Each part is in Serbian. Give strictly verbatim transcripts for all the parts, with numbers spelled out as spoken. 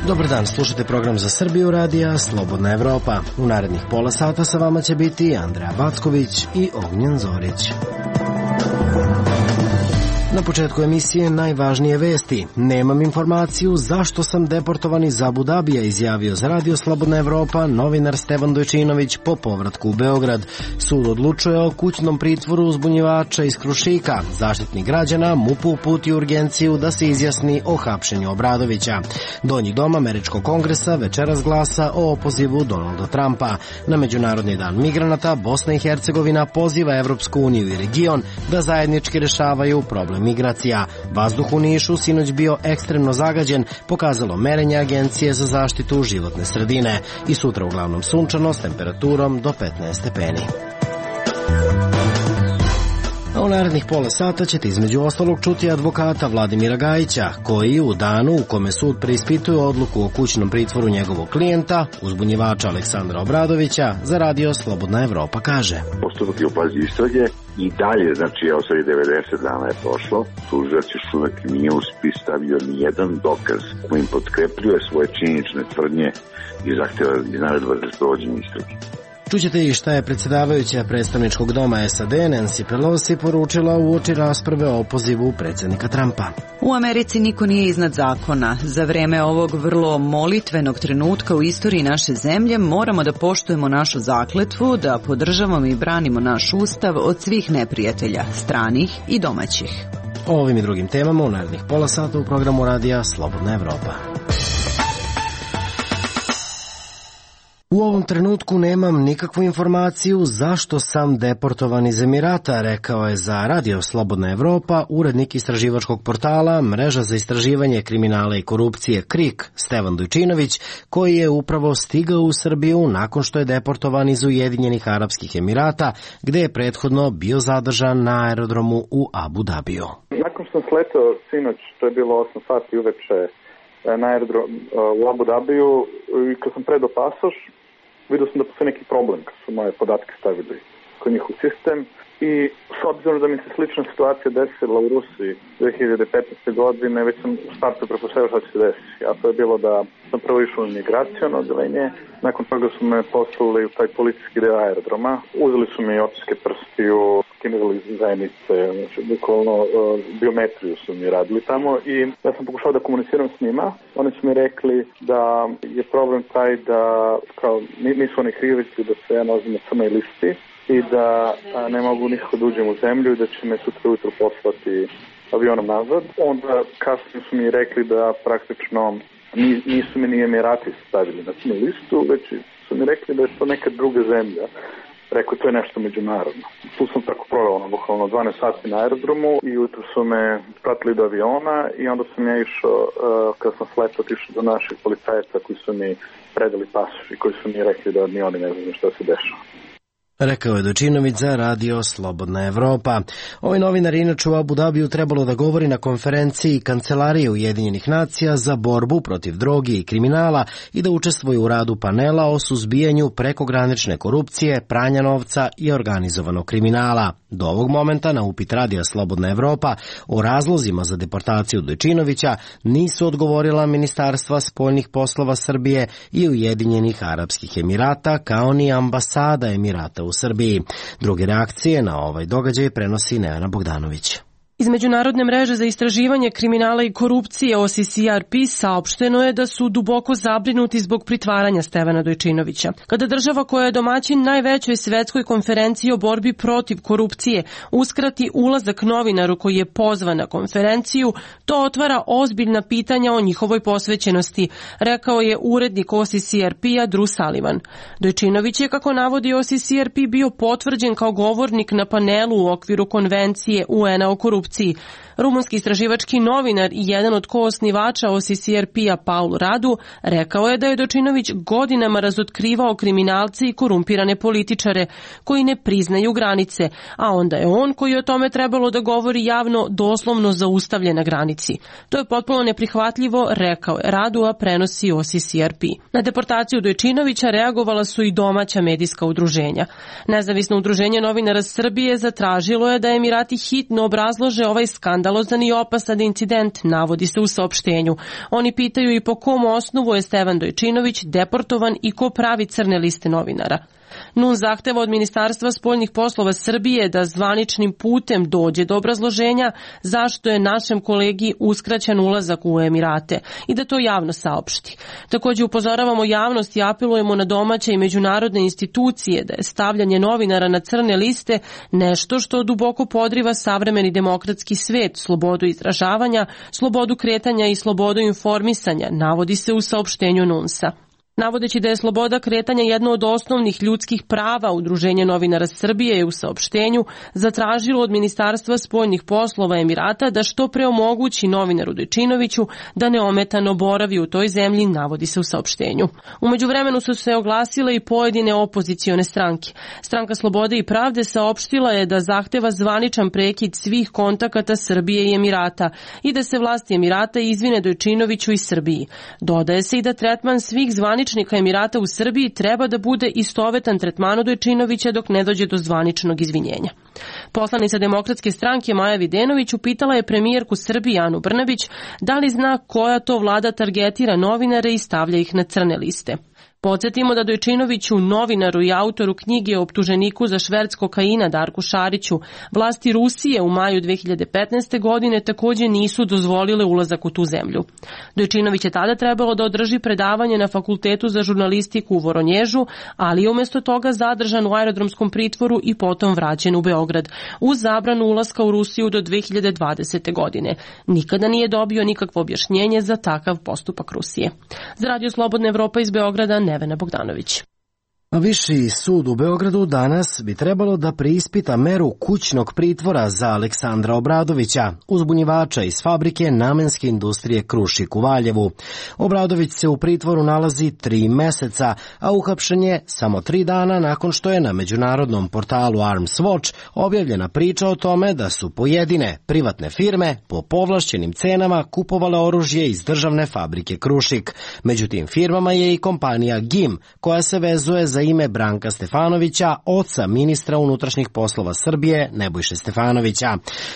Dobar dan, slušate program za Srbiju radija Slobodna Evropa. U narednih pola sata sa vama će biti Andreja Backović i Ognjen Zorić. Na početku emisije najvažnije vesti. Nemam informaciju zašto sam deportovan iz Abu Dabija, izjavio za radio Slobodna Evropa novinar Stevan Dojčinović po povratku u Beograd. Sud odlučuje o kućnom pritvoru uzbunjivača iz Krušika. Zaštitnik građana M U P-u uputio urgenciju da se izjasni o hapšenju Obradovića. Donji dom Američkog kongresa večeras glasa o opozivu Donalda Trumpa. Na Međunarodni dan migranata Bosna i Hercegovina poziva Evropsku uniju i region da zajednički rešavaju problem migracija. Vazduh u Nišu sinoć bio ekstremno zagađen, pokazalo merenje Agencije za zaštitu životne sredine. I sutra uglavnom sunčano s temperaturom do petnaest stepeni. A u narednih pola sata ćete između ostalog čuti advokata Vladimira Gajića, koji u danu u kome sud preispituje odluku o kućnom pritvoru njegovog klijenta, uzbunjivača Aleksandra Obradovića, za radio Slobodna Evropa kaže: Postupak je u fazi istrage i dalje, znači evo sad i devedeset dana je prošlo, tužilac još uvek nije u spis stavio ni jedan dokaz kojim potkrepljuje svoje činjenične tvrdnje i zahteva i naredba za sprovođenje istrage. Čućete i šta je predsjedavajuća predstavničkog doma S A D Nancy Pelosi poručila uoči rasprave o opozivu predsjednika Trumpa. U Americi niko nije iznad zakona. Za vreme ovog vrlo molitvenog trenutka u istoriji naše zemlje moramo da poštujemo našu zakletvu, da podržavamo i branimo naš ustav od svih neprijatelja, stranih i domaćih. O ovim i drugim temama u narednih pola sata u programu radija Slobodna Evropa. U ovom trenutku nemam nikakvu informaciju zašto sam deportovan iz Emirata, rekao je za radio Slobodna Evropa urednik istraživačkog portala Mreža za istraživanje kriminala i korupcije KRIK Stevan Dojčinović, koji je upravo stigao u Srbiju nakon što je deportovan iz Ujedinjenih Arapskih Emirata, gde je prethodno bio zadržan na aerodromu u Abu Dabiju. Nakon što sam sletao sinoć, to je bilo osam sati uveče na aerodrom u Abu Dabiju, i kad sam predao pasoš, vidio sam da postoji neki problem kad su moje podatke stavili kod njihov sistem i s obzirom da mi se slična situacija desila u Rusiji dve hiljade petnaeste. godine, već sam u startu pretpostavio šta će se desiti. A to je bilo da sam prvo išao u migracijono odeljenje, nakon toga su me poslali u taj policijski deo aerodroma, uzeli su mi otiske prstiju, skenirali zajednice, znači bukvalno uh, biometriju su mi radili tamo i ja sam pokušao da komuniciram s njima. Oni su mi rekli da je problem taj da kao, nisu oni krivi da se ja nalazim na crnoj listi i da a, ne mogu nikako da uđem u zemlju i da će me sutra ujutro poslati avionom nazad. Onda kasnije su mi rekli da praktično nisu mi ni Emirati stavili na crnu listu, već su mi rekli da je to neka druga zemlja. Rekao, to je nešto međunarodno. Tu sam tako proveo, ono, bukvalno dvanaest sati na aerodromu i jutro su me pratili do aviona i onda sam ja išao, uh, kad sam sletao, išao do naših policajaca koji su mi predali pasoš i koji su mi rekli da ni oni ne znaju šta se dešava. Rekao je Dojčinović za radio Slobodna Evropa. Ovaj novinar inače u Abu Dabiju trebalo da govori na konferenciji Kancelarije Ujedinjenih nacija za borbu protiv droge i kriminala i da učestvuje u radu panela o suzbijanju prekogranične korupcije, pranja novca i organizovanog kriminala. Do ovog momenta na upit radija Slobodna Evropa o razlozima za deportaciju Dojčinovića nisu odgovorila Ministarstva spoljnih poslova Srbije i Ujedinjenih Arapskih Emirata, kao ni ambasada Emirata u Srbiji. Druge reakcije na ovaj događaj prenosi Nevena Bogdanović. Iz Međunarodne mreže za istraživanje kriminala i korupcije O C C R P saopšteno je da su duboko zabrinuti zbog pritvaranja Stevana Dojčinovića. Kada država koja je domaćin najvećoj svetskoj konferenciji o borbi protiv korupcije uskrati ulazak novinaru koji je pozvan na konferenciju, to otvara ozbiljna pitanja o njihovoj posvećenosti, rekao je urednik O C C R P-a Drew Sullivan. Dojčinović je, kako navodi O C C R P, bio potvrđen kao govornik na panelu u okviru konvencije U N-a o korupciji. Rumunski istraživački novinar i jedan od koosnivača O C C R P-a Paul Radu rekao je da je Dojčinović godinama razotkrivao kriminalce i korumpirane političare koji ne priznaju granice, a onda je on, koji je o tome trebalo da govori javno, doslovno zaustavljen na granici. To je potpuno neprihvatljivo, rekao je Radu, a prenosi O C C R P. Na deportaciju Dojčinovića reagovala su i domaća medijska udruženja. Nezavisno udruženje novinara Srbije zatražilo je da Emirati hitno obrazlože ovaj skandal skandalozan i opasan incident, navodi se u saopštenju. Oni pitaju i po kom osnovu je Stevan Dojčinović deportovan i ko pravi crne liste novinara. N U N zahteva od Ministarstva spoljnih poslova Srbije da zvaničnim putem dođe do obrazloženja zašto je našem kolegi uskraćen ulazak u Emirate i da to javno saopšti. Takođe upozoravamo javnost i apelujemo na domaće i međunarodne institucije da je stavljanje novinara na crne liste nešto što duboko podriva savremeni demokratski svet, slobodu izražavanja, slobodu kretanja i slobodu informisanja, navodi se u saopštenju N U N S-a. Navodeći da je sloboda kretanja jedno od osnovnih ljudskih prava, Udruženje novinara Srbije je u saopštenju zatražilo od Ministarstva spoljnih poslova Emirata da što pre omogući novinaru Dojčinoviću da neometano boravi u toj zemlji, navodi se u saopštenju. U međuvremenu su se oglasile i pojedine opozicione stranke. Stranka Slobode i pravde saopštila je da zahteva zvaničan prekid svih kontakata Srbije i Emirata i da se vlasti Emirata izvine Dojčinoviću i Srbiji. Dodaje se i da tretman svih zvaničnih Emirata u Srbiji treba da bude istovetan tretmanu Dojčinovića dok ne dođe do zvaničnog izvinjenja. Poslanica Demokratske stranke Maja Videnović upitala je premijerku Srbije Anu Brnabić da li zna koja to vlada targetira novinare i stavlja ih na crne liste. Podsjetimo da Dojčinoviću, novinaru i autoru knjige o optuženiku za šverc kokaina Darku Šariću, vlasti Rusije u maju dve hiljade petnaeste. godine takođe nisu dozvolile ulazak u tu zemlju. Dojčinović je tada trebalo da održi predavanje na Fakultetu za žurnalistiku u Voronježu, ali je umesto toga zadržan u aerodromskom pritvoru i potom vraćen u Beograd, uz zabranu ulaska u Rusiju do dve hiljade dvadesete. godine. Nikada nije dobio nikakvo objašnjenje za takav postupak Rusije. Za Radio Slobodna Evropa iz Beograda, Nevena Bogdanović. Viši sud u Beogradu danas bi trebalo da preispita meru kućnog pritvora za Aleksandra Obradovića, uzbunjivača iz fabrike namenske industrije Krušik u Valjevu. Obradović se u pritvoru nalazi tri meseca, a uhapšen je samo tri dana nakon što je na međunarodnom portalu Arms Watch objavljena priča o tome da su pojedine privatne firme po povlašćenim cenama kupovale oružje iz državne fabrike Krušik. Među tim firmama je i kompanija G I M, koja se vezuje za ime Branka Stefanovića, oca ministra unutrašnjih poslova Srbije Nebojše Stefanovića.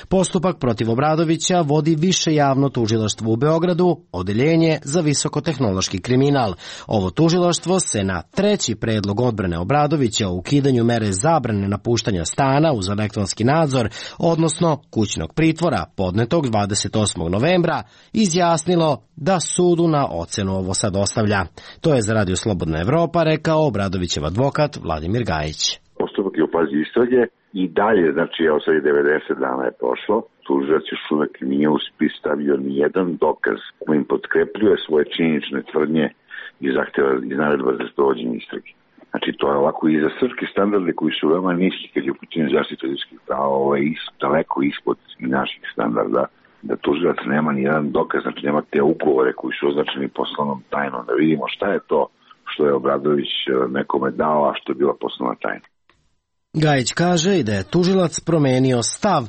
Postupak protiv Obradovića vodi Više javno tužilaštvo u Beogradu, odeljenje za visokotehnološki kriminal. Ovo tužilaštvo se na treći predlog odbrane Obradovića o ukidanju mere zabrane napuštanja stana uz elektronski nadzor, odnosno kućnog pritvora, podnetog dvadeset osmog novembra, izjasnilo da sudu na ocenu ovo sad ostavlja. To je za Radio Slobodna Evropa rekao Obradovićev advokat Vladimir Gajić. Postupak je u fazi istrage i dalje, znači evo sad je devedeset dana je prošlo, tužilac još uvek nije u spis stavio ni jedan dokaz kojim potkrepljuje svoje činjenične tvrdnje i zahteva iz naredba za sprovođenje istrage. Znači to je ovako i za srpske standarde koji su veoma niski kad je u pitanju zaštite ljudskih prava, ovo je is, daleko ispod i naših standarda, da tužilac nema ni jedan dokaz, znači nema te ugovore koji su označeni poslovnom tajnom, da vidimo šta je to što je Obradović nekome dao, a što je bila poslovna tajna. Gajić kaže i da je tužilac promenio stav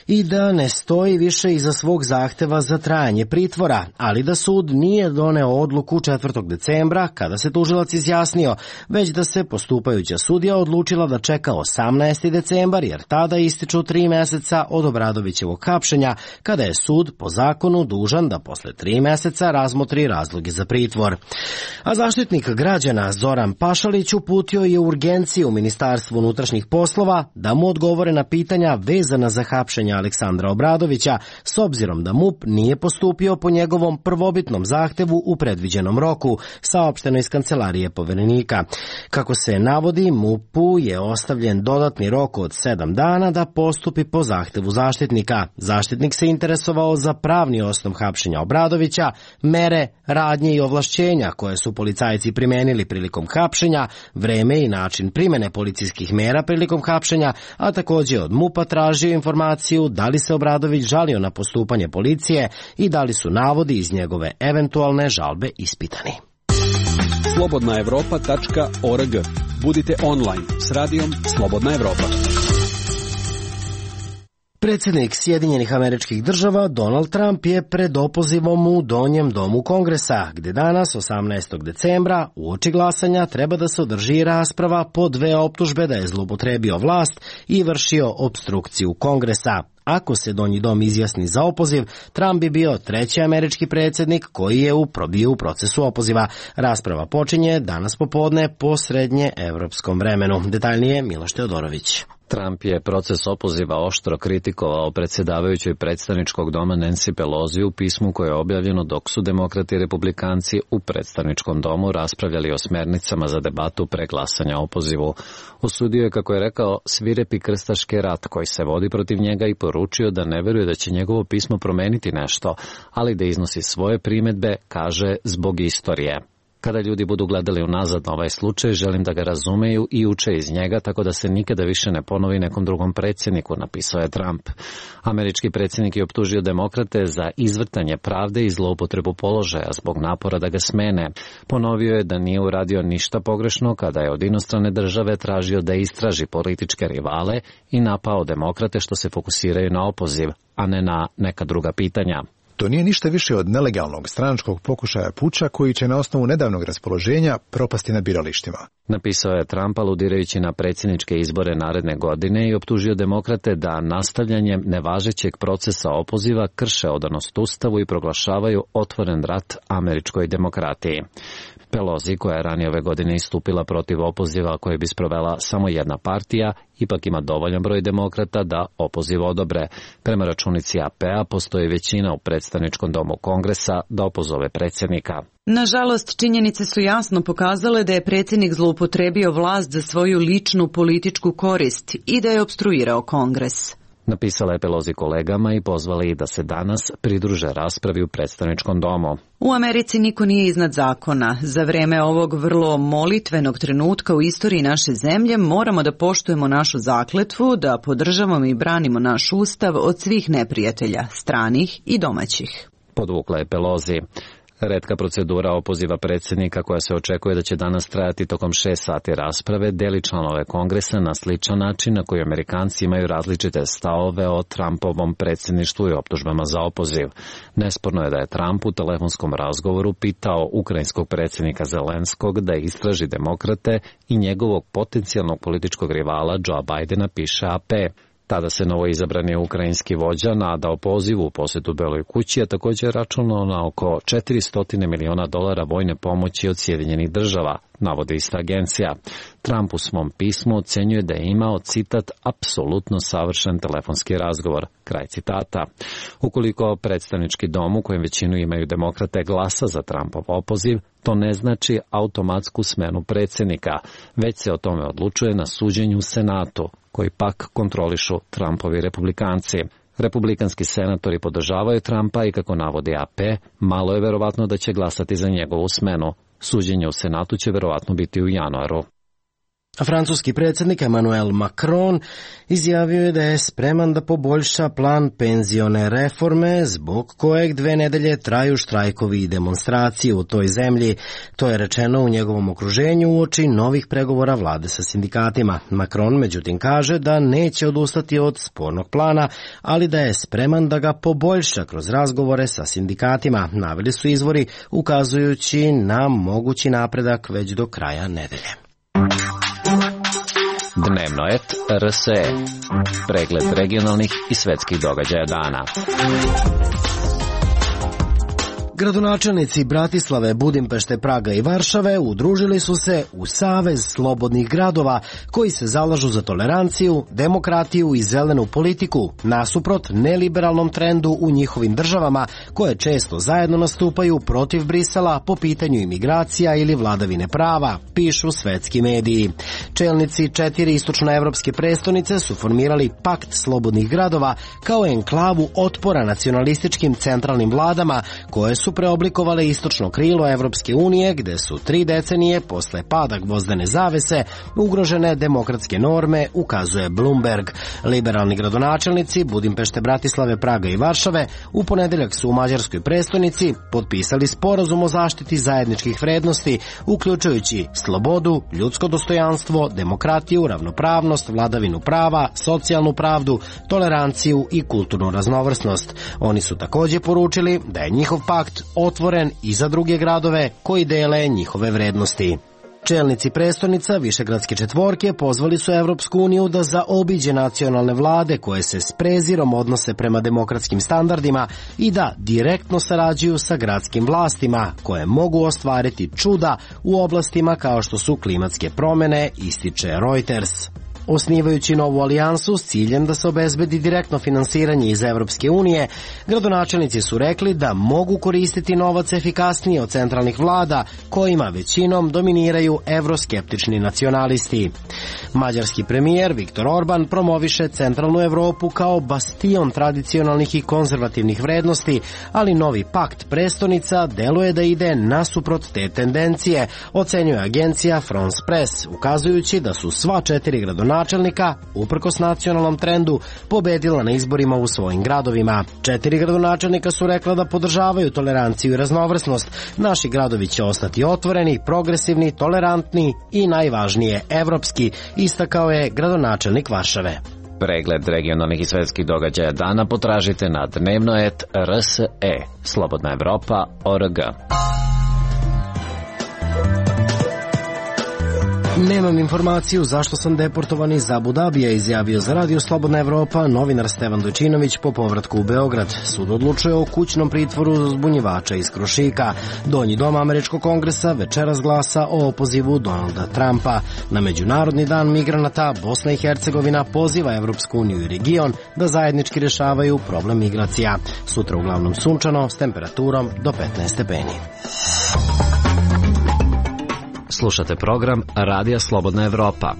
i da ne stoji više iza svog zahteva za trajanje pritvora, ali da sud nije doneo odluku četvrtog decembra kada se tužilac izjasnio, već da se postupajuća sudija odlučila da čeka osamnaesti decembar jer tada ističu tri meseca od Obradovićevog hapšenja, kada je sud po zakonu dužan da posle tri meseca razmotri razloge za pritvor. A zaštitnik građana Zoran Pašalić uputio je urgenciju u Ministarstvu unutrašnjih poslova da mu odgovore na pitanja vezana za hapšenje Aleksandra Obradovića, s obzirom da M U P nije postupio po njegovom prvobitnom zahtevu u predviđenom roku, saopšteno iz kancelarije Poverenika. Kako se navodi, M U P-u je ostavljen dodatni rok od sedam dana da postupi po zahtevu zaštitnika. Zaštitnik se interesovao za pravni osnov hapšenja Obradovića, mere, radnje i ovlašćenja koje su policajci primenili prilikom hapšenja, vreme i način primene policijskih mera prilikom hapšenja, a takođe od M U P-a tražio informaciju da li se Obradović žalio na postupanje policije i da li su navodi iz njegove eventualne žalbe ispitani. slobodna evropa tačka org. Budite online s radijom Slobodna Evropa. Predsjednik Sjedinjenih Američkih Država Donald Trump je pred opozivom u Donjem domu Kongresa, gde danas, osamnaestog decembra, uoči glasanja treba da se održi rasprava po dve optužbe da je zloupotrebio vlast i vršio opstrukciju Kongresa. Ako se Donji dom izjasni za opoziv, Trump bi bio treći američki predsjednik koji je probio u procesu opoziva. Rasprava počinje danas popodne po srednje evropskom vremenu. Detaljnije Miloš Teodorović. Trump je proces opoziva oštro kritikovao predsjedavajućoj predstavničkog doma Nancy Pelosi u pismu koje je objavljeno dok su demokrati i republikanci u predstavničkom domu raspravljali o smernicama za debatu pre glasanja o opozivu. Osudio je, kako je rekao, svirepi krstaški rat koji se vodi protiv njega i poručio da ne veruje da će njegovo pismo promeniti nešto, ali da iznosi svoje primedbe, kaže, zbog istorije. Kada ljudi budu gledali unazad na ovaj slučaj, želim da ga razumeju i uče iz njega, tako da se nikada više ne ponovi nekom drugom predsjedniku, napisao je Trump. Američki predsjednik je optužio demokrate za izvrtanje pravde i zloupotrebu položaja zbog napora da ga smene. Ponovio je da nije uradio ništa pogrešno kada je od inostrane države tražio da istraži političke rivale i napao demokrate što se fokusiraju na opoziv, a ne na neka druga pitanja. To nije ništa više od nelegalnog stranačkog pokušaja puča koji će na osnovu nedavnog raspoloženja propasti na biralištima. Napisao je Trump aludirajući na predsjedničke izbore naredne godine i optužio demokrate da nastavljanjem nevažećeg procesa opoziva krše odanost Ustavu i proglašavaju otvoren rat američkoj demokratiji. Pelosi, koja je ranije ove godine istupila protiv opoziva koje bi sprovela samo jedna partija, ipak ima dovoljan broj demokrata da opoziv odobre. Prema računici A P-a postoji većina u predstavničkom domu Kongresa da opozove predsjednika. Nažalost, činjenice su jasno pokazale da je predsjednik zloupotrebio vlast za svoju ličnu političku korist i da je opstruirao Kongres. Napisala je Pelosi kolegama i pozvala ih da se danas pridruže raspravi u predstavničkom domu. U Americi niko nije iznad zakona. Za vreme ovog vrlo molitvenog trenutka u istoriji naše zemlje moramo da poštujemo našu zakletvu, da podržavamo i branimo naš ustav od svih neprijatelja, stranih i domaćih. Podvukla je Pelosi. Retka procedura opoziva predsjednika koja se očekuje da će danas trajati tokom šest sati rasprave deli članove Kongresa na sličan način na koji Amerikanci imaju različite stavove o Trumpovom predsjedništvu i optužbama za opoziv. Nesporno je da je Trump u telefonskom razgovoru pitao ukrajinskog predsjednika Zelenskog da istraži demokrate i njegovog potencijalnog političkog rivala Joea Bidena, piše A P. Tada se novoizabrani ukrajinski vođa nadao pozivu u posjetu Beloj kući, a također računao na oko četiristo miliona dolara vojne pomoći od Sjedinjenih država, navodi ista agencija. Trump u svom pismu ocenjuje da je imao, citat, apsolutno savršen telefonski razgovor, kraj citata. Ukoliko predstavnički dom u kojem većinu imaju demokrate glasa za Trumpov opoziv, to ne znači automatsku smenu predsjednika, već se o tome odlučuje na suđenju u Senatu, koji pak kontrolišu Trumpovi republikanci. Republikanski senatori podržavaju Trumpa i, kako navodi A P, malo je verovatno da će glasati za njegovu smenu. Suđenje u Senatu će verovatno biti u januaru. A francuski predsjednik Emmanuel Macron izjavio je da je spreman da poboljša plan penzione reforme zbog kojeg dve nedelje traju štrajkovi i demonstracije u toj zemlji. To je rečeno u njegovom okruženju uoči novih pregovora vlade sa sindikatima. Macron međutim kaže da neće odustati od spornog plana, ali da je spreman da ga poboljša kroz razgovore sa sindikatima, naveli su izvori ukazujući na mogući napredak već do kraja nedelje. Dnevno et R S E. Pregled regionalnih i svetskih događaja dana. Gradonačelnici Bratislave, Budimpešte, Praga i Varšave udružili su se u Savez slobodnih gradova koji se zalažu za toleranciju, demokratiju i zelenu politiku, nasuprot neliberalnom trendu u njihovim državama koje često zajedno nastupaju protiv Brisela po pitanju imigracija ili vladavine prava, pišu svetski mediji. Čelnici četiri istočnoevropske prestonice su formirali Pakt slobodnih gradova kao enklavu otpora nacionalističkim centralnim vladama koje su su preoblikovale istočno krilo Evropske unije, gde su tri decenije posle pada gvozdene zavese ugrožene demokratske norme, ukazuje Bloomberg. Liberalni gradonačelnici Budimpešte, Bratislave, Praga i Varšave u ponedeljak su u mađarskoj prestonici potpisali sporazum o zaštiti zajedničkih vrednosti, uključujući slobodu, ljudsko dostojanstvo, demokratiju, ravnopravnost, vladavinu prava, socijalnu pravdu, toleranciju i kulturnu raznovrsnost. Oni su takođe poručili da je njihov pakt otvoren i za druge gradove koji dele njihove vrednosti. Čelnici prestonica Višegradske četvorke pozvali su Evropsku uniju da zaobiđe nacionalne vlade koje se s prezirom odnose prema demokratskim standardima i da direktno sarađuju sa gradskim vlastima koje mogu ostvariti čuda u oblastima kao što su klimatske promene, ističe Reuters. Osnivajući novu alijansu s ciljem da se obezbedi direktno finansiranje iz Evropske unije, gradonačelnici su rekli da mogu koristiti novac efikasnije od centralnih vlada, kojima većinom dominiraju evroskeptični nacionalisti. Mađarski premijer Viktor Orban promoviše centralnu Evropu kao bastion tradicionalnih i konzervativnih vrednosti, ali novi pakt prestonica deluje da ide nasuprot te tendencije, ocenjuje agencija France Press, ukazujući da su sva četiri gradonačelnika načelnika, uprkos nacionalnom trendu, pobedila na izborima u svojim gradovima. Četiri gradonačelnika su rekla da podržavaju toleranciju i raznovrsnost. Naši gradovi će ostati otvoreni, progresivni, tolerantni i najvažnije evropski, istakao je gradonačelnik Varšave. Pregled regionalnih i svetskih događaja dana potražite na dnevnoet R S E, Slobodna Evropa, O R G. Nemam informaciju zašto sam deportovan iz Abu Dabija, izjavio za Radio Slobodna Evropa novinar Stevan Dojčinović po povratku u Beograd. Sud odlučuje o kućnom pritvoru zbunjivača iz Krušika. Donji dom američkog kongresa večeras glasa o opozivu Donalda Trumpa. Na Međunarodni dan migranata Bosna i Hercegovina poziva Evropsku uniju i region da zajednički rešavaju problem migracija. Sutra uglavnom sunčano s temperaturom do petnaest stepeni. Slušate program Radija Slobodna Evropa.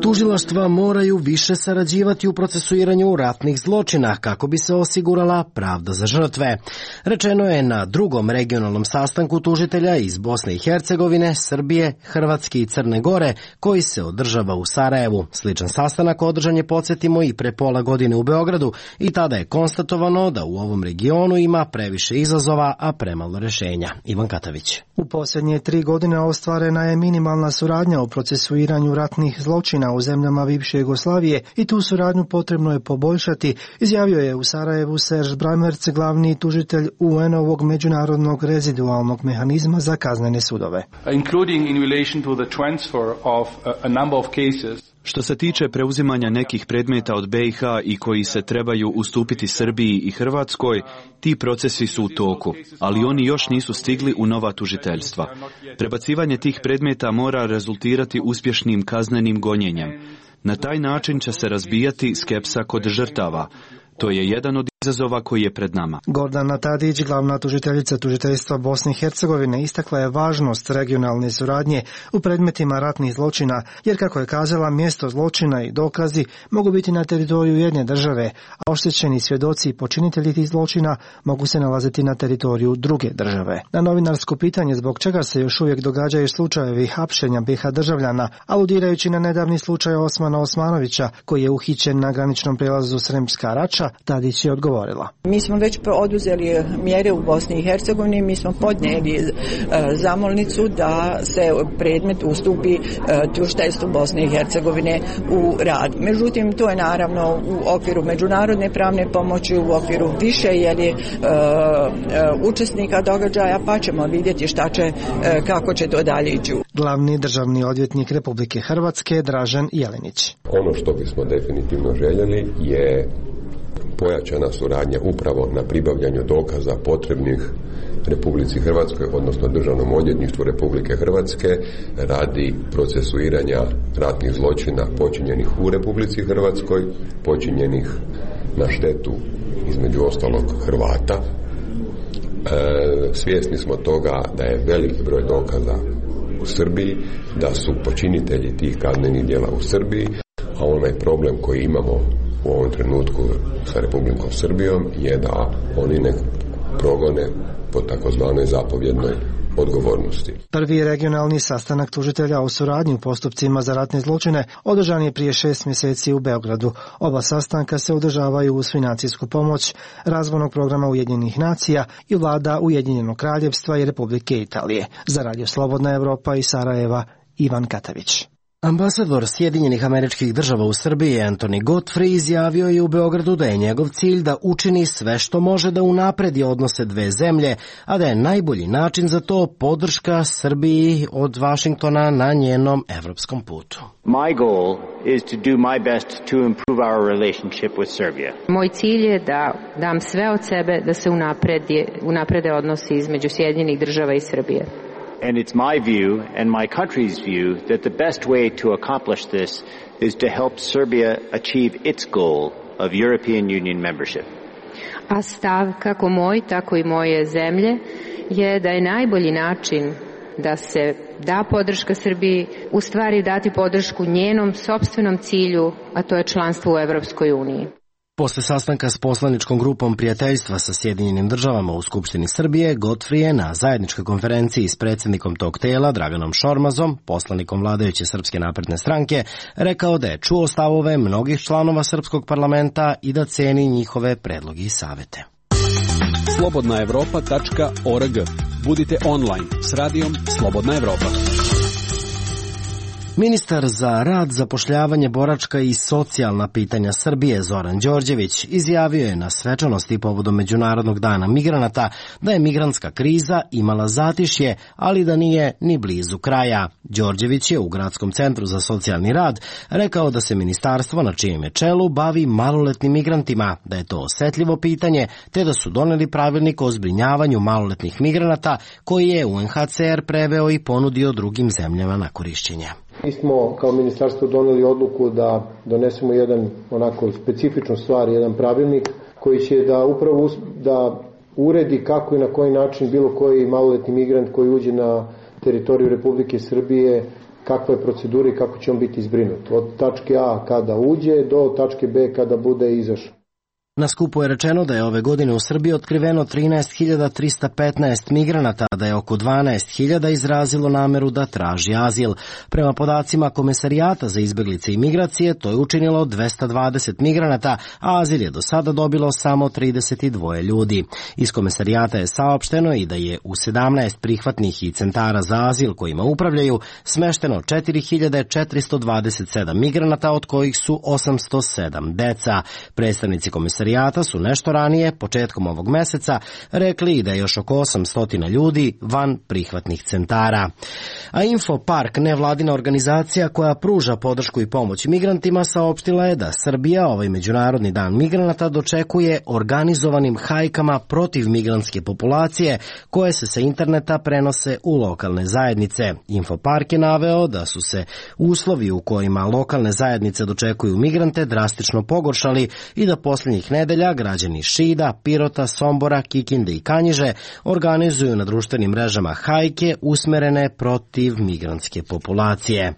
Tužilaštva moraju više sarađivati u procesuiranju ratnih zločina kako bi se osigurala pravda za žrtve. Rečeno je na drugom regionalnom sastanku tužitelja iz Bosne i Hercegovine, Srbije, Hrvatske i Crne Gore, koji se održava u Sarajevu. Sličan sastanak održan je, podsjetimo, i pre pola godine u Beogradu i tada je konstatovano da u ovom regionu ima previše izazova, a premalo rešenja. Ivan Katavić. U posljednje tri godine ostvarena je minimalna suradnja u procesuiranju ratnih zločina u zemljama bivše Jugoslavije i tu suradnju potrebno je poboljšati, izjavio je u Sarajevu Serge Brammertz, glavni tužitelj U N-ovog međunarodnog rezidualnog mehanizma za kaznene sudove. Including in relation to the transfer of a number of cases. Što se tiče preuzimanja nekih predmeta od B i H i koji se trebaju ustupiti Srbiji i Hrvatskoj, ti procesi su u toku, ali oni još nisu stigli u nova tužiteljstva. Prebacivanje tih predmeta mora rezultirati uspješnim kaznenim gonjenjem. Na taj način će se razbijati skepsa kod žrtava. To je jedan od izazova koji je pred nama. Gordana Tadić, glavna tužiteljica tužiteljstva Bosne i Hercegovine, istakla je važnost regionalne suradnje u predmetima ratnih zločina, jer kako je kazala, mjesto zločina i dokazi mogu biti na teritoriju jedne države, a oštećeni svjedoci i počinitelji tih zločina mogu se nalaziti na teritoriju druge države. Na novinarsko pitanje zbog čega se još uvijek događaju slučajevi hapšenja B i H državljana, aludirajući na nedavni slučaj Osmana Osmanovića, koji je uhićen na graničnom prijelazu Sremska Rača, Tadić je odgovorila. Mi smo već oduzeli mjere u Bosni i Hercegovini, mi smo podnijeli e, zamolnicu da se predmet ustupi e, tužiteljstvu Bosne i Hercegovine u rad. Međutim, to je naravno u okviru međunarodne pravne pomoći, u okviru više jeli, e, e, učesnika događaja, pa ćemo vidjeti šta će, e, kako će to dalje ići. Glavni državni odvjetnik Republike Hrvatske Dražen Jelinić. Ono što bismo definitivno željeli je pojačana suradnja upravo na pribavljanju dokaza potrebnih Republici Hrvatskoj, odnosno Državnom odvjetništvu Republike Hrvatske, radi procesuiranja ratnih zločina počinjenih u Republici Hrvatskoj, počinjenih na štetu između ostalog Hrvata. E, svjesni smo toga da je veliki broj dokaza u Srbiji, da su počinitelji tih kaznenih djela u Srbiji, a onaj problem koji imamo u ovom trenutku sa Republikom Srbijom je da oni ne progone po takozvanoj zapovjednoj odgovornosti. Prvi regionalni sastanak tužitelja o suradnji u postupcima za ratne zločine održan je prije šest mjeseci u Beogradu. Oba sastanka se održavaju uz financijsku pomoć razvojnog programa Ujedinjenih nacija i vlada Ujedinjenog kraljevstva i Republike Italije. Za Radio Slobodna Evropa iz Sarajeva, Ivan Katavić. Ambasador Sjedinjenih Američkih Država u Srbiji Anthony Godfrey izjavio je u Beogradu da je njegov cilj da učini sve što može da unapredi odnose dve zemlje, a da je najbolji način za to podrška Srbiji od Vašingtona na njenom evropskom putu. My goal is to do my best to improve our relationship with Serbia. Moj cilj je da dam sve od sebe da se unapredi, unaprede odnosi između Sjedinjenih Država i Srbije. And it's my view and my country's view that the best way to accomplish this is to help Serbia achieve its goal of European Union membership. A stav kako moj, tako i moje zemlje je da je najbolji način da se da podrška Srbiji, u stvari dati podršku njenom sopstvenom cilju, a to je članstvo u Evropskoj uniji. Posle sastanka s poslaničkom grupom prijateljstva sa Sjedinjenim Državama u Skupštini Srbije, Godfrey je na zajedničkoj konferenciji s predsjednikom tog tela, Draganom Šormazom, poslanikom vladajuće Srpske napredne stranke, rekao da je čuo stavove mnogih članova Srpskog parlamenta i da ceni njihove predloge i savete. slobodna evropa tačka org. Budite online s radijom Slobodna Evropa. Ministar za rad, zapošljavanje, boračka i socijalna pitanja Srbije Zoran Đorđević izjavio je na svečanosti povodom Međunarodnog dana migranata da je migrantska kriza imala zatišje, ali da nije ni blizu kraja. Đorđević je u Gradskom centru za socijalni rad rekao da se ministarstvo na čijem je čelu bavi maloletnim migrantima, da je to osetljivo pitanje, te da su doneli pravilnik o zbrinjavanju maloletnih migranata koji je U N H C R preveo i ponudio drugim zemljama na korišćenje. Mi smo kao ministarstvo doneli odluku da donesemo jedan onako specifičnu stvar, jedan pravilnik koji će da upravo da uredi kako i na koji način bilo koji maloletni migrant koji uđe na teritoriju Republike Srbije, kakva je procedura i kako će on biti zbrinut. Od tačke A kada uđe do tačke B kada bude izašao. Na skupu je rečeno da je ove godine u Srbiji otkriveno trinaest hiljada trista petnaest migranata, da je oko dvanaest hiljada izrazilo nameru da traži azil. Prema podacima Komesarijata za izbeglice i migracije, to je učinilo dvesta dvadeset migranata, a azil je do sada dobilo samo trideset dva ljudi. Iz Komesarijata je saopšteno i da je u sedamnaest prihvatnih i centara za azil kojima upravljaju smešteno četiri hiljade četiristo dvadeset sedam migranata, od kojih su osamsto sedam deca. Predstavnici Komesarijata su nešto ranije, početkom ovog meseca, rekli da je još oko osamsto ljudi van prihvatnih centara. A Infopark, nevladina organizacija koja pruža podršku i pomoć migrantima, saopštila je da Srbija ovaj Međunarodni dan migranata dočekuje organizovanim hajkama protiv migrantske populacije koje se sa interneta prenose u lokalne zajednice. Infopark je naveo da su se uslovi u kojima lokalne zajednice dočekuju migrante drastično pogoršali i da posljednjih nedelja građani Šida, Pirota, Sombora, Kikinde i Kanjiže organizuju na društvenim mrežama hajke usmerene protiv migrantske populacije.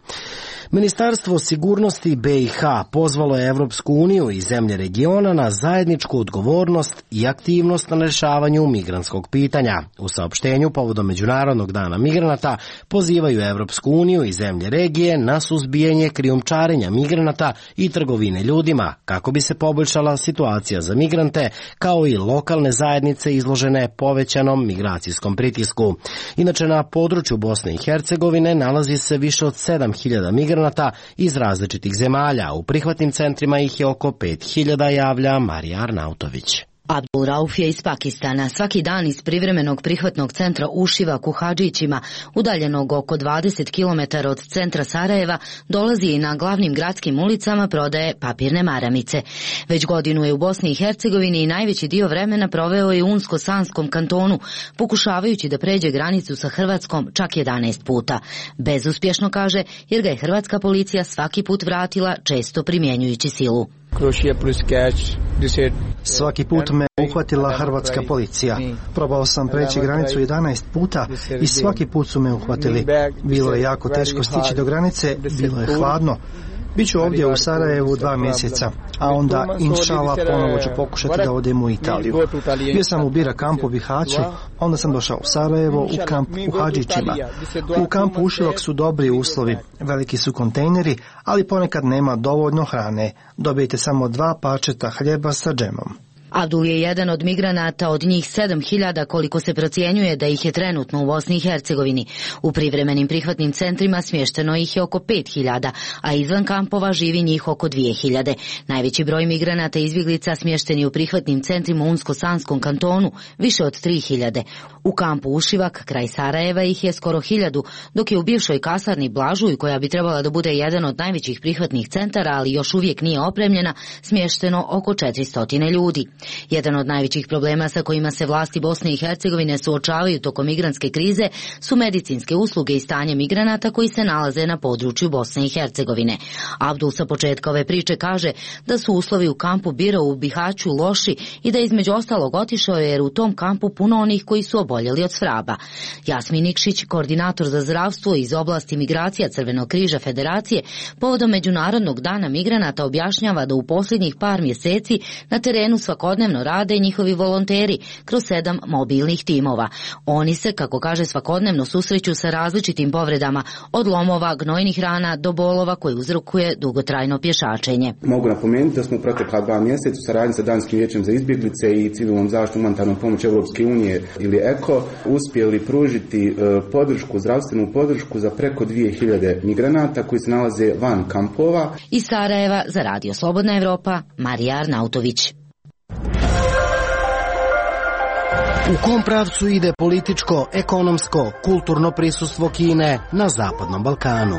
Ministarstvo sigurnosti B i H pozvalo je Evropsku uniju i zemlje regiona na zajedničku odgovornost i aktivnost na rešavanju migrantskog pitanja. U saopštenju povodom Međunarodnog dana migranata pozivaju Evropsku uniju i zemlje regije na suzbijanje krijumčarenja migranata i trgovine ljudima kako bi se poboljšala situacija za migrante kao i lokalne zajednice izložene povećanom migracijskom pritisku. Inače, na području Bosne i Hercegovine nalazi se više od sedam hiljada migranata iz različitih zemalja. U prihvatnim centrima ih je oko pet hiljada, javlja Marija Arnautović. Abdul Rauf je iz Pakistana. Svaki dan iz privremenog prihvatnog centra u Šivaku Hadžićima, udaljenog oko dvadeset kilometara od centra Sarajeva, dolazi i na glavnim gradskim ulicama prodaje papirne maramice. Već godinu je u Bosni i Hercegovini i najveći dio vremena proveo je u Unsko-Sanskom kantonu, pokušavajući da pređe granicu sa Hrvatskom čak jedanaest puta. Bezuspješno, kaže, jer ga je hrvatska policija svaki put vratila, često primjenjujući silu. Svaki put me uhvatila hrvatska policija. Probao sam preći granicu jedanaest puta i svaki put su me uhvatili. Bilo je jako teško stići do granice, bilo je hladno. Biću ovdje u Sarajevu dva mjeseca, a onda, inšala, ponovo ću pokušati da odem u Italiju. Bio sam u Bira kampu u Bihaću, onda sam došao u Sarajevo, u kamp u Hadžićima. U kampu Ušivak su dobri uslovi, veliki su kontejneri, ali ponekad nema dovoljno hrane. Dobijete samo dva parčeta hljeba sa džemom. Abdul je jedan od migranata, od njih sedam hiljada koliko se procjenjuje da ih je trenutno u Bosni i Hercegovini. U privremenim prihvatnim centrima smješteno ih je oko pet hiljada, a izvan kampova živi njih oko dvije hiljade. Najveći broj migranata i izbjeglica smješteni u prihvatnim centrima u Unsko-Sanskom kantonu, više od tri hiljade. U kampu Ušivak, kraj Sarajeva, ih je skoro hiljadu, dok je u bivšoj kasarni Blažuj, koja bi trebala da bude jedan od najvećih prihvatnih centara, ali još uvijek nije opremljena, smješteno oko četiristo ljudi. Jedan od najvećih problema sa kojima se vlasti Bosne i Hercegovine suočavaju tokom migrantske krize su medicinske usluge i stanje migranata koji se nalaze na području Bosne i Hercegovine. Abdul sa početka ove priče kaže da su uslovi u kampu Bira u Bihaću loši i da između ostalog otišao jer u tom kampu puno onih koji su oboljeli od svraba. Jasmin Nikšić, koordinator za zdravstvo iz oblasti migracija Crvenog križa Federacije, povodom Međunarodnog dana migranata objašnjava da u posljednjih par mjeseci na terenu svakodnevno rade njihovi volonteri kroz sedam mobilnih timova. Oni se, kako kaže, svakodnevno susreću sa različitim povredama, od lomova, gnojnih rana do bolova koje uzrokuje dugotrajno pješačenje. Mogu napomenuti da smo u protekla dva mjeseca u saradnji sa Danskim vijećem za izbjeglice i civilnom zaštitom humanitarnom pomoć Europske unije ili E K O uspjeli pružiti e, podršku, zdravstvenu podršku za preko dvije hiljade migranata koji se nalaze van kampova. Iz Sarajeva za Radio Slobodna Evropa, Marija Arnautović. U kom pravcu ide političko, ekonomsko, kulturno prisustvo Kine na Zapadnom Balkanu?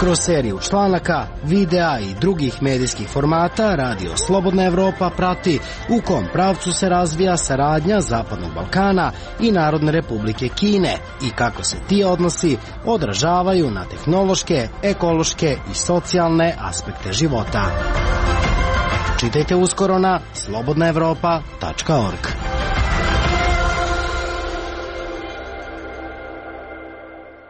Kroz seriju članaka, videa i drugih medijskih formata Radio Slobodna Evropa prati u kom pravcu se razvija saradnja Zapadnog Balkana i Narodne Republike Kine i kako se ti odnosi odražavaju na tehnološke, ekološke i socijalne aspekte života. Čitajte uskoro na slobodna evropa tačka org.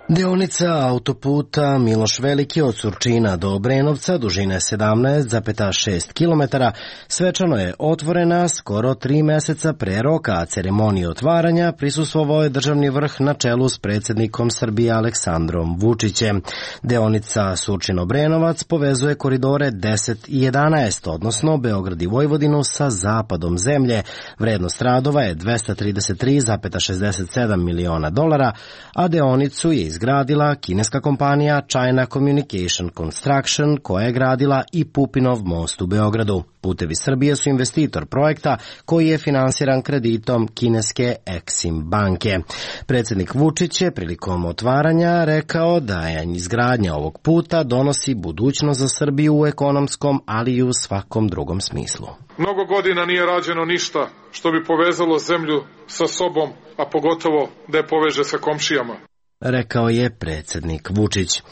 Deonica autoputa Miloš Veliki od Surčina do Obrenovca, dužine sedamnaest zarez šest kilometara, svečano je otvorena skoro tri mjeseca pre roka, a ceremoniji otvaranja prisustvovao je državni vrh na čelu s predsjednikom Srbije Aleksandrom Vučićem. Deonica Surčin-Obrenovac povezuje koridore deset i jedanaest, odnosno Beograd i Vojvodinu sa zapadom zemlje. Vrednost radova je dvesta trideset tri zarez šezdeset sedam miliona dolara, a deonicu je izgradila kineska kompanija China Communication Construction, koja je gradila i Pupinov most u Beogradu. Putevi Srbije su investitor projekta koji je finansiran kreditom kineske Exim banke. Predsjednik Vučić je prilikom otvaranja rekao da je izgradnja ovog puta donosi budućnost za Srbiju u ekonomskom, ali i u svakom drugom smislu. Mnogo godina nije rađeno ništa što bi povezalo zemlju sa sobom, a pogotovo da je poveže sa komšijama, rekao je predsjednik Vučić.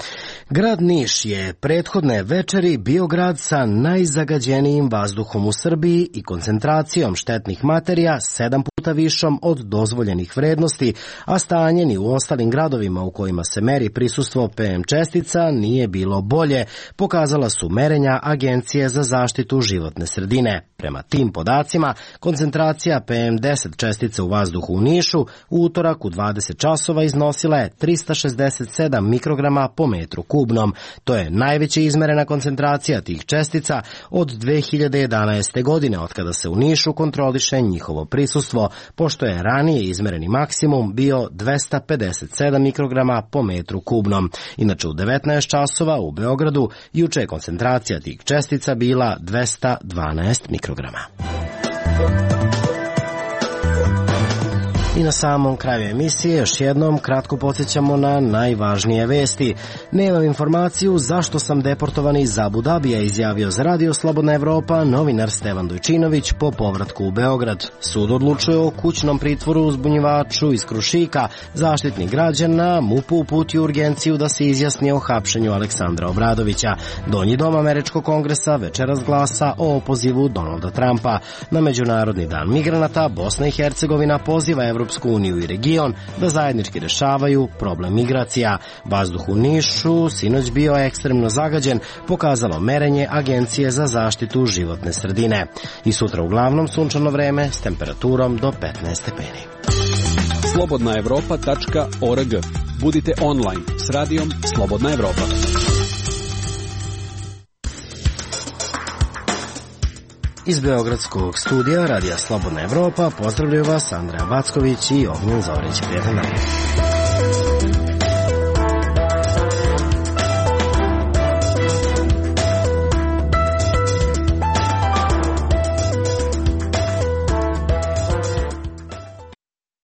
Grad Niš je prethodne večeri bio grad sa najzagađenijim vazduhom u Srbiji i koncentracijom štetnih materija sedam puta višom od dozvoljenih vrednosti, a stanje ni u ostalim gradovima u kojima se meri prisustvo P M čestica nije bilo bolje, pokazala su merenja Agencije za zaštitu životne sredine. Prema tim podacima, koncentracija P M deset čestica u vazduhu u Nišu u utorak u dvadeset časova iznosila je trista šezdeset sedam mikrograma po metru kubnom. To je najveća izmerena koncentracija tih čestica od dve hiljade jedanaeste. godine, otkada se u Nišu kontroliše njihovo prisustvo, pošto je ranije izmereni maksimum bio dvesta pedeset sedam mikrograma po metru kubnom. Inače u devetnaest časova u Beogradu juče je koncentracija tih čestica bila dvesta dvanaest mikrograma. I na samom kraju emisije još jednom kratko podsjećamo na najvažnije vesti. Nemam informaciju zašto sam deportovan iz Abu Dabija, izjavio za Radio Slobodna Evropa novinar Stevan Dojčinović po povratku u Beograd. Sud odlučuje o kućnom pritvoru uzbunjivaču iz Krušika. Zaštitnik građana M U P uputio urgenciju da se izjasni o hapšenju Aleksandra Obradovića. Donji dom Američkog kongresa večeras glasa o opozivu Donalda Trumpa. Na Međunarodni dan migranata Bosna i Hercegovina poziva Evropsku Evropsku uniju i region da zajednički rešavaju problem migracija. Vazduh u Nišu sinoć bio ekstremno zagađen, pokazalo merenje Agencije za zaštitu životne sredine. I sutra uglavnom sunčano vreme s temperaturom do petnaest stepeni. slobodna evropa tačka org. Budite online s radijom Slobodna Evropa. Iz Beogradskog studija Radija Slobodna Evropa pozdravljaju vas Andreja Backović i Ognjen Zorić. Prijetan dan.